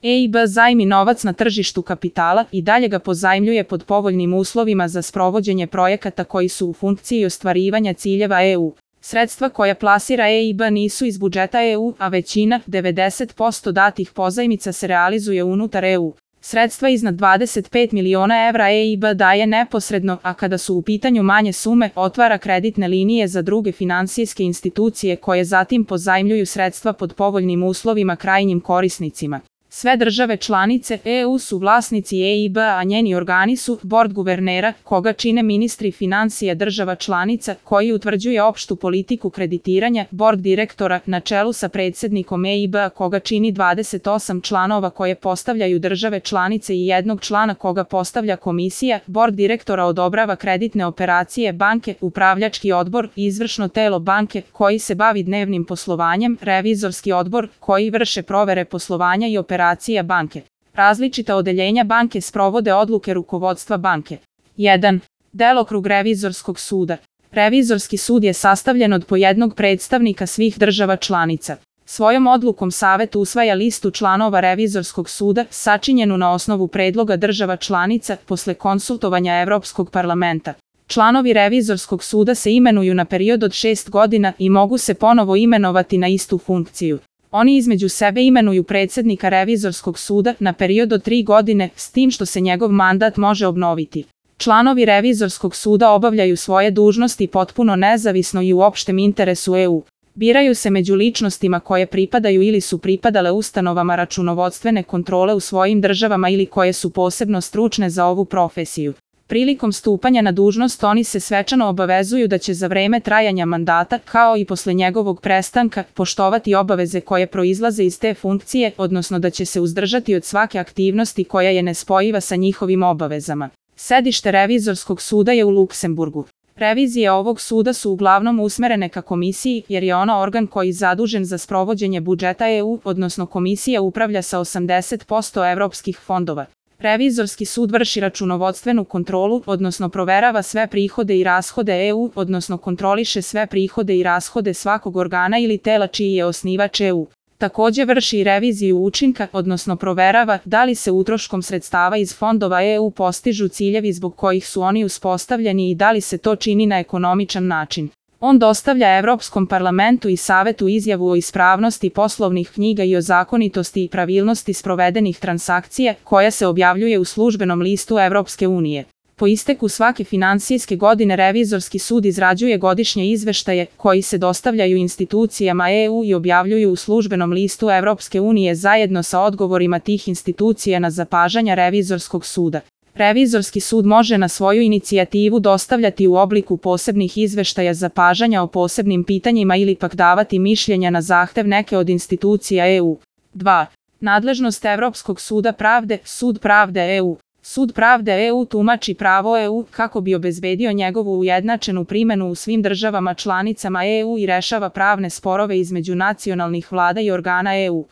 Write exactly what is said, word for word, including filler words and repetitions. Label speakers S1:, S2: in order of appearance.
S1: E I B zajmi novac na tržištu kapitala i dalje ga pozajmljuje pod povoljnim uslovima za sprovođenje projekata koji su u funkciji ostvarivanja ciljeva E U. Sredstva koja plasira E I B nisu iz budžeta E U, a većina, devedeset posto datih pozajmica se realizuje unutar E U. Sredstva iznad dvadeset pet miliona evra E I B daje neposredno, a kada su u pitanju manje sume, otvara kreditne linije za druge finansijske institucije koje zatim pozajmljuju sredstva pod povoljnim uslovima krajnjim korisnicima. Sve države članice E U su vlasnici E I B, a njeni organi su Bord guvernera, koga čine ministri finansija država članica, koji utvrđuje opštu politiku kreditiranja, Bord direktora, na čelu sa predsednikom E I B, koga čini dvadeset osam članova koje postavljaju države članice i jednog člana koga postavlja komisija, Bord direktora odobrava kreditne operacije banke, upravljački odbor, izvršno telo banke, koji se bavi dnevnim poslovanjem, revizorski odbor, koji vrše provere poslovanja i operacije banke. Različita odeljenja banke sprovode odluke rukovodstva banke. jedan. Delokrug revizorskog suda. Revizorski sud je sastavljen od po jednog predstavnika svih država članica. Svojom odlukom Savet usvaja listu članova revizorskog suda, sačinjenu na osnovu predloga država članica, posle konsultovanja Evropskog parlamenta. Članovi revizorskog suda se imenuju na period od šest godina i mogu se ponovo imenovati na istu funkciju. Oni između sebe imenuju predsednika revizorskog suda na period od tri godine, s tim što se njegov mandat može obnoviti. Članovi revizorskog suda obavljaju svoje dužnosti potpuno nezavisno i u opštem interesu E U. Biraju se među ličnostima koje pripadaju ili su pripadale ustanovama računovodstvene kontrole u svojim državama ili koje su posebno stručne za ovu profesiju. Prilikom stupanja na dužnost oni se svečano obavezuju da će za vreme trajanja mandata, kao i posle njegovog prestanka, poštovati obaveze koje proizlaze iz te funkcije, odnosno da će se uzdržati od svake aktivnosti koja je nespojiva sa njihovim obavezama. Sedište revizorskog suda je u Luksemburgu. Revizije ovog suda su uglavnom usmerene ka komisiji, jer je ona organ koji je zadužen za sprovođenje budžeta E U, odnosno komisija upravlja sa osamdeset posto evropskih fondova. Revizorski sud vrši računovodstvenu kontrolu, odnosno proverava sve prihode i rashode E U, odnosno kontroliše sve prihode i rashode svakog organa ili tela čiji je osnivač E U. Takođe vrši i reviziju učinka, odnosno proverava da li se utroškom sredstava iz fondova E U postižu ciljevi zbog kojih su oni uspostavljeni i da li se to čini na ekonomičan način. On dostavlja Evropskom parlamentu i Savetu izjavu o ispravnosti poslovnih knjiga i o zakonitosti i pravilnosti sprovedenih transakcija, koja se objavljuje u službenom listu Evropske unije. Po isteku svake finansijske godine revizorski sud izrađuje godišnje izveštaje, koji se dostavljaju institucijama E U i objavljuju u službenom listu Evropske unije zajedno sa odgovorima tih institucija na zapažanja revizorskog suda. Revizorski sud može na svoju inicijativu dostavljati u obliku posebnih izveštaja zapažanja o posebnim pitanjima ili pak davati mišljenja na zahtev neke od institucija E U. dva. Nadležnost Evropskog suda pravde, Sud pravde E U. Sud pravde E U tumači pravo E U kako bi obezbedio njegovu ujednačenu primenu u svim državama članicama E U i rešava pravne sporove između nacionalnih vlada i organa E U.